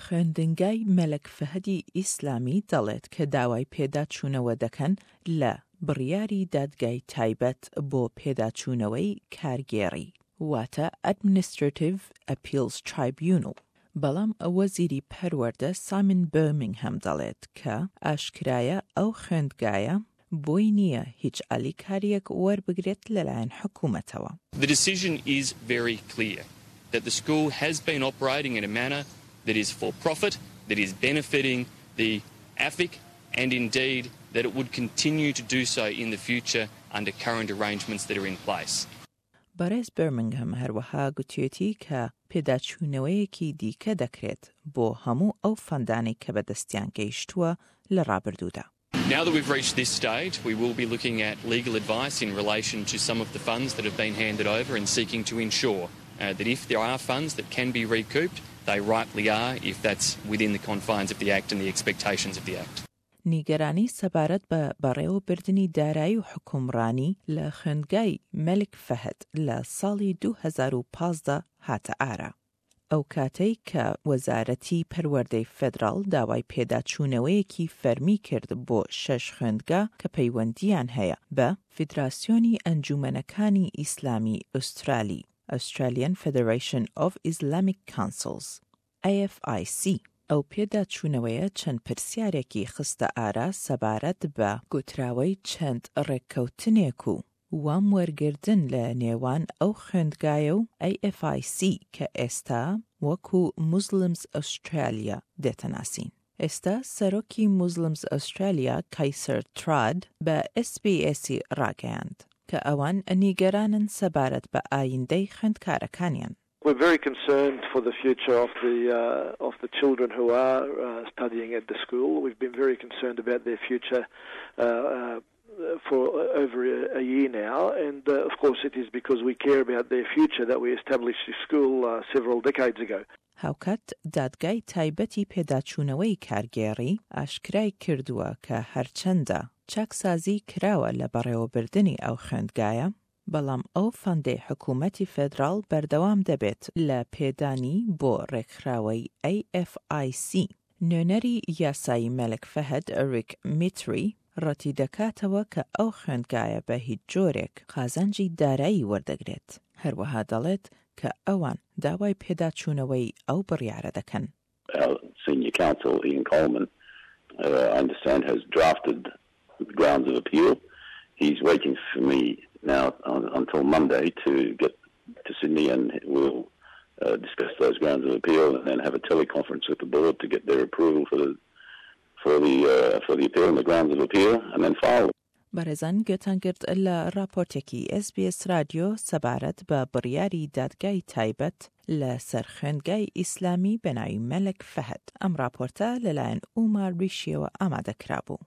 خوێندنگای مەلەک فەهدی ئیسلامی دەڵێت کە داوای پێداچوونەوە دەکەن لە بڕیاری دادگای تایبەت بۆ پێداچوونەوەی کارگێڕی واتە Administrative Appeals Tribunal، بەڵام وەزیری پەروەردە سایمن بێرمینگهام دەڵێت کە ئاشکرایە ئەو خوێندگایە بۆی نییە هیچ ئالیکارییەک وەربگرێت لەلایەن حکومەتەوە. The decision is very clear that the school has been operating in a manner that is for profit, that is benefiting the AFIC and indeed that it would continue to do so in the future under current arrangements that are in place. بەڕێز بێرمنگهام هەروەها گوتویەتی کە پێداچوونەوەیەکی دیکە دەکرێت بۆ هەموو ئەو فەندانەی کە بەدەستیان گەیشتووە لە ڕابردوودا. Now that we've reached this stage, we will be looking at legal advice in relation to some of the funds that have been handed over and seeking to ensure that if there are funds that can be recouped, they rightly are if that's within the confines of the Act and the expectations of the Act. نیگەرانی سەبارەت بە بەڕێوەبردنی دارایی و حوکمڕانی لە خوێندگای مەلک فەهد لە ساڵی 2015 هاتە ئارا. ئەو کاتەی کە وەزارەتی پەروەردەی فێدراڵ داوای پێداچوونەوەیەکی فەرمی کرد بۆ شەش خوێندگا کە پەیوەندییان هەیە بە فیدراسیۆنی ئەنجوومەنەکانی ئیسلامی ئوسترالی، Australian Federation of Islamic Councils، AFIC. ئەو پێداچوونەوەیە چەند پرسیارێکی خستە ئارا سەبارەت بە گوتراوەی چەند ڕێککەوتنێک و وام وەرگردن لە نێوان ئەو خوێندگایە و AFIC کە ئێستا وەکو Muslims Australia دێتە ناسین. ئێستا سەرۆکی Muslims Australia کایسەر تراد بە SBS ی ڕاگەیاند کە ئەوان نیگەرانن سەبارەت بە ئایندەی خوێندکارەکانیان. We're very concerned for the future of the uh, of the children who are uh, studying at the school. We've been very concerned about their future uh, uh, for over a, a year now, and uh, of course it is because we care about their future that we established this school uh, several decades ago. هاوکات دادگای تایبەتی پێداچوونەوەی کارگێڕی ئاشکرای کردووە کە هەرچەندە چاکسازی کراوە لە بەڕێوەبردنی ئەو خوێندگایە، بەڵام ئەو فەندەی حکوومەتی فێدراڵ بەردەوام دەبێت لە پێدانی بۆ ڕێکخراوەی AFIC. نوێنەری یاسایی مەلک فەهد ڕیک میتری ڕەتیدەکاتەوە کە ئەو خوێندگایە بە هیچ جۆرێک قازانجی دارایی وەردەگرێت، هەروەها دەڵێت کە ئەوان داوای پێداچوونەوەی ئەو بڕیارە دەکەن. Our senior counsel, Ian Coleman, uh, I understand, has drafted the grounds of appeal. He's waiting for me now until Monday to get to Sydney and we'll uh, discuss those grounds of appeal and then have a teleconference with the board to get their approval for the for the uh, for the appeal and the grounds of appeal and then file. بەڕێزان گوێتان گرت لە ڕاپۆرتێکی ئێس بی ئێس رادیۆ سەبارەت بە بڕیاری دادگای تایبەت لە سەر خوێندگای ئیسلامی بە ناوی مەلەک فەهد. ئەم ڕاپۆرتە لەلایەن ئوما ریشیەوە ئامادە کرابوو.